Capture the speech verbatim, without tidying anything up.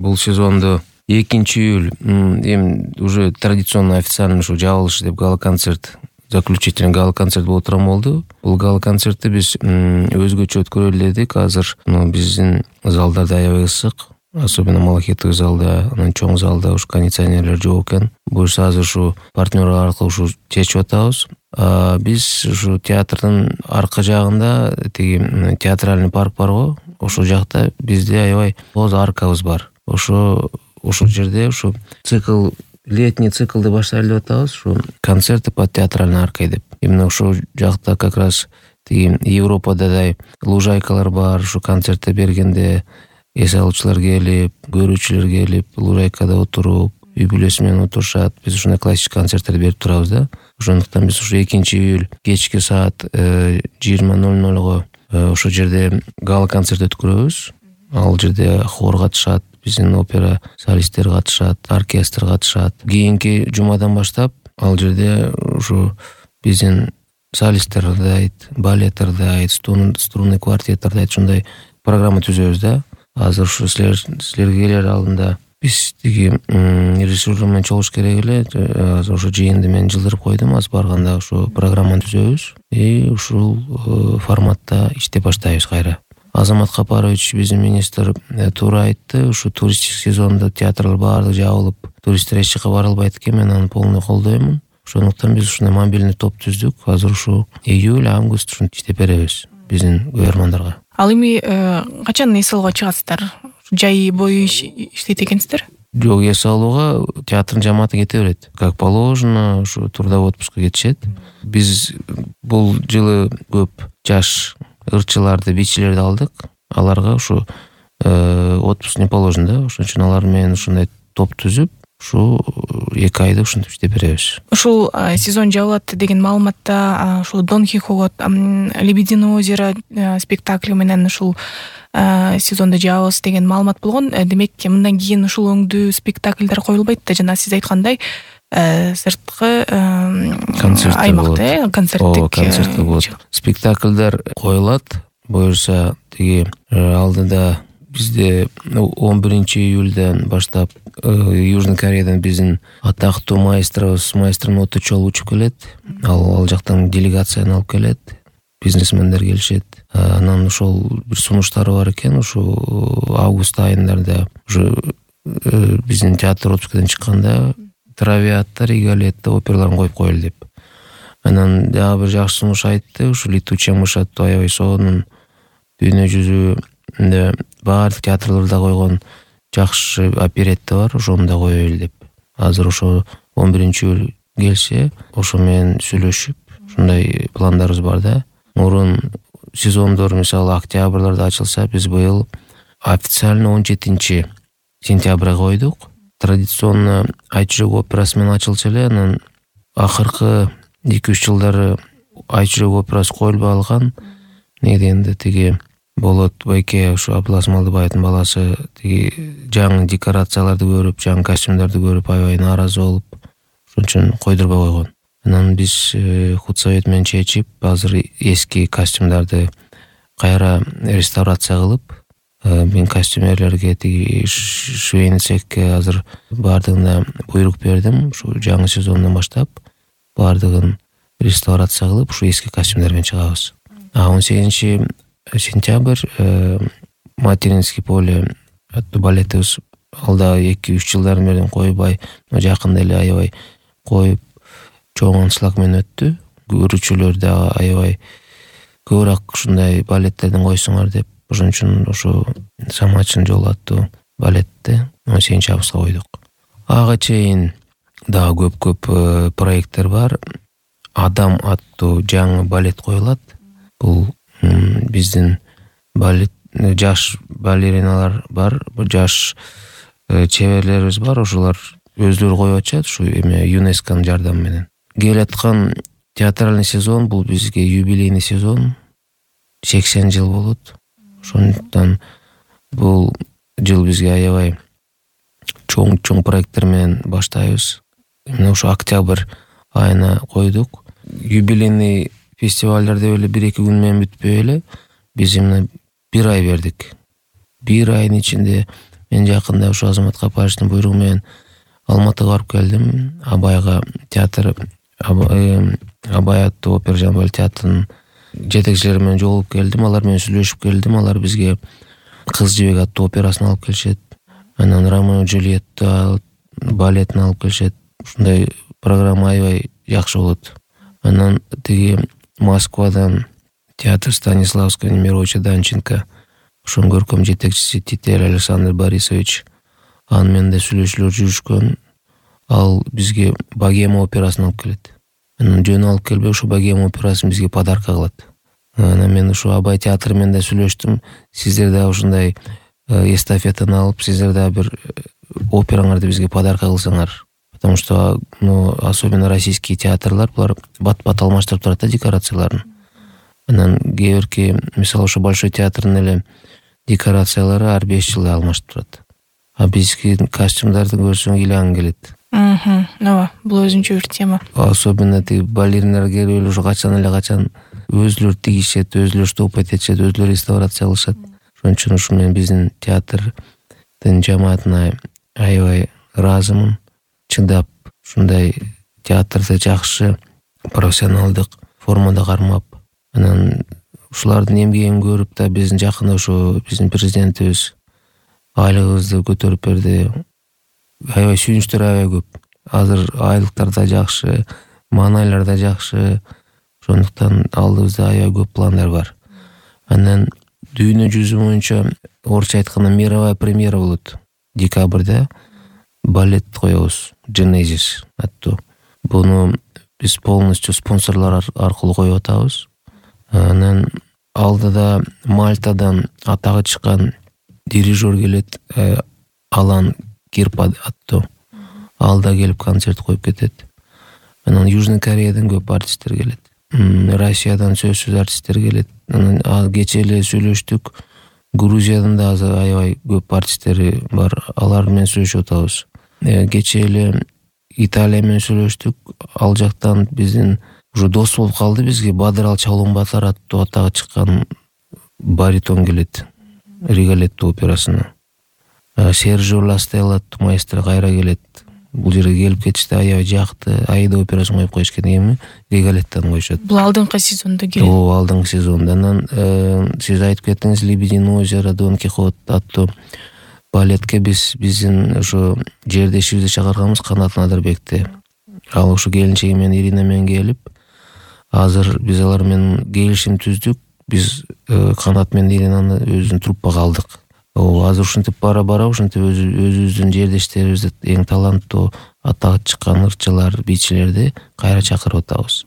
бул сезонду экинчи июль эми уже традиционно официально ушу жабылышы деп гала-концерт, заключительный гала-концерт боло турган болду. Бул гала-концертти биз өзгөчө өткөрөлү дедик. Азыр биздин залдарда аябай ысык, особенно Малахеттеги залда, анан чоң залда ушу кондиционерлер жок экен. Буюрса азыр ушу партнёрлор аркылуу ушу чечип атабыз. Биз ушу театрдын арка жагында тиги театральный парк барго, ошол жакта бизде аябай тоз аркабыз бар. Ошо ошол жерде ушу цикл, летний циклды баштайлы деп атабыз, ушу концерты по театральной аркой деп. Именно ошол жакта как раз тиги Европададай лужайкалар бар. Ушу концерттер бергенде эс алуучулар келип, көрүүчүлөр келип, лужайкада отуруп, үй бүлөсү менен отурушат. Биз ушундай классик концерттерди берип турабыз да. Ошондуктан биз ушу экинчи июль кечки саат жыйырма ноль нольго ошол жерде гала-концерт өткөрөбүз. Ал жерде хор катышат, биздин опера солисттери катышат, оркестр катышат. Кийинки жумадан баштап ал жерде ушу биздин солисттер дайт, балеттер дайт, струнный квартеттер дайт, ушундай программа түзөбүз да. Азыр ушу силер силерге келер алдында биз тиги режиссер менен чогулуш керек эле. Азыр ошо жыйынды мен жылдырып койдум. Азыр барганда ушу программаны түзөбүз и ушул форматта иштеп баштайбыз кайра. Азамат Капарович, биздин министр, туура айтты. Ушу туристтик сезондо театрлар баардыгы жабылып, туристтер эч жака бара албайт экен. Мен аны полный колдоймун. Ошондуктан биз ушундай мобильный топ түздүк. Азыр ушу июль, август ушинтип иштеп беребиз биздин көрөрмандарга. Ал эми качан эс алууга чыгасыздар? Жай бою иштейт экенсиздер? Жок, эс алууга театрдын жамааты кете берет. Как положено, ушу трудовой отпускка кетишет. Биз бул жылы көп жаш ырчыларды, бичилерди алдык. Аларга ушу отпуск не положено да. Ошон үчүн алар менен ушундай топ түзүп, ушу эки айда ушинтип иштеп беребиз. Ушул сезон жабылат деген маалыматта ушул Дон Кихот, Лебединое озеро спектакли менен ушул сезонду жабабыз деген маалымат болгон. Демек, мындан кийин ушул өңдүү спектакльдер коюлбайт да, жана сиз айткандай сырткы аймакта концерттик концерттер болот. Спектакльдер коюлат. Буюрса тиги алдыда бизде он биринчи июльден баштап Южный Кореядан биздин атактуу маэстробуз, маэстро Нота Чол учуп келет. Ал ал жактан делегацияны алып келет. Бизнесмендер келишет. Анан ошол бир сунуштары бар экен. Ушу август айында ушу биздин театр отпускадан чыкканда Травиатта, Риголетта операларын коюп коелу деп. Анан дагы бир жакшы сунуш айтты. Ушу Летучая мышь аттуу аябай сонун дүйнө жүзүндө баардык театрларда койгон жакшы оперетта бар, ошону да коелу деп. Азыр ошо он биринчи июль келсе, ошо менен сүйлөшүп, ушундай пландарыбыз бар да. Мурун сезондор мисалы октябрларда ачылса, биз быйыл официально он жетинчи сентябрга койдук. Традиционно Айчүрөк операсы менен ачылчу эле, анан акыркы эки үч жылдары Айчүрөк операсы коюлбай калган. Не дегенде тиги Болот Байке, ушу Абылас Малдыбаевдин баласы, тиги жаңы декорацияларды көрүп, жаңы костюмдарды көрүп аябай нааразы болуп, ошон үчүн койдурбай койгон. Анан биз худсовет менен чечип, азыр эски костюмдарды кайра реставрация кылып, мен костюмерлерге тиги швейный цехке азыр баардыгына буйрук бердим. Ушу жаңы сезондон баштап баардыгын реставрация кылып, ушу эски костюмдер менен чыгабыз. А он сегизинчи сентябрь Материнский поле аттуу балетибиз алда эки үч жылдар менен койбай, жакында эле аябай коюп, чоң аншлаг менен өттү. Көрүүчүлөр да аябай көбүрөөк ушундай балеттерден койсуңар деп, ошон үчүн ошо Самачин жолу аттуу балетти он сегизинчи августка койдук. Ага чейин дагы көп-көп проекттер бар. Адам аттуу жаңы балет коюлат. Бул биздин балет жаш балериналар бар, жаш чеберлерибиз бар. Ошолар өздөрү коюп атышат ушу эме ЮНЕСКОнун жардамы менен. Келаткан театральный сезон бул бизге юбилейный сезон. сексен жыл болот. Ошондуктан бул жыл бизге аябай чоң-чоң проекттер менен баштайбыз. Мына ушу октябрь айына койдук. Юбилейный фестивалдар деп эле бир-эки күн менен бүтпөй эле биз эмне бир ай бердик. Бир айдын ичинде мен жакында ушу Азамат Капаевичтин буйругу менен Алматыга барып келдим. Абайга театр Абай аттуу опера жана балет театрынын жетекчилери менен жолугуп келдим. Алар менен сүйлөшүп келдим. Алар бизге Кыз жибек аттуу операсын алып келишет. Анан Ромео и Джульетта балетин алып келишет. Ушундай программа аябай жакшы болот. Анан тиги Москвадан театр Станиславского Немировича Данченко, ошонун көркөм жетекчиси Титель Александр Борисович, аны менен да сүйлөшүүлөр жүрүшкөн. Ал бизге Богема операсын алып келет. Анан жөн алып келбей ушу Богема операсын бизге подарка кылат. Анан мен ушу Абай театры менен да сүйлөштүм. Сиздер да ушундай эстафетаны алып, сиздер да бир операңарды бизге подарка кылсаңар. Потому что, ну, особенно российские театрлар, булар бат-бат алмаштырып турат да декорацияларын. Анан кээ бирки, мисалы ушу Большой театрдын эле декорациялары ар беш жылда алмашып турат. А бизги костюмдарды көрсөң ыйлаң келет. Мм, ооба, бул өзүнчө бир тема. Особенно тиги балериндар келип эле ушу качан эле качан өзүлөрү тигишет, өзүлөрү штопать этишет, өзүлөрү реставрация кылышат. Ошон үчүн ушу мен биздин театрдын жамаатына аябай ыраазымын. Чындап ушундай театрды жакшы профессионалдык формада кармап, анан ушулардын эмгегин көрүп да биздин жакында ушу биздин президентибиз айлыгыбызды көтөрүп берди. Аябай сүйүнүчтөр аябай көп. Азыр айлыктар да жакшы, маанайлар да жакшы. Ошондуктан алдыбызда аябай көп пландар бар. Анан дүйнө жүзү боюнча орусча айтканда мировая премьера болот. Декабрда балет коебуз, Genesis аттуу. Буну биз полностью спонсорлор аркылуу коюп атабыз. Анан алдыда Мальтадан атагы чыккан дирижер келет, Алан Кирпа аттуу. Алда келип концерт коюп кетет. Анан Южный Кореядан көп артисттер келет. Россиядан сөзсүз артисттер келет. Анан кечээ эле сүйлөштүк. Грузиядан да азыр аябай көп артисттери бар. Алар менен сүйлөшүп атабыз. Кечээ эле Италия менен сүйлөштүк. Ал жактан биздин уже дос болуп калды бизге. Бадырал Чалоон-Батар аттуу атагы чыккан баритон келет. Риголетто операсына. Серджио Ластелло аттуу маэстро кайра келет. Бул жерге келип кетишти, аябай жакты. Аида операсын коюп коюшкан эми Риголеттону коюшат. Бул алдыңкы сезондо келет. Ооба, алдыңкы сезондо. Анан сиз айтып кеттиңиз, Лебединое озеро, Дон Кихот аттуу балетке биз биздин ошо жердешибизди чакырганбыз, Канат Надырбекти. Ал ушу келинчеги менен Ирина менен келип, азыр биз алар менен келишим түздүк. Биз Канат менен Иринаны өзүбүздүн труппага алдык. Азыр ушинтип бара-бара ушинтип өзүбүздүн жердештерибизди, эң таланттуу атагы чыккан ырчылар, бийчилерди кайра чакырып атабыз.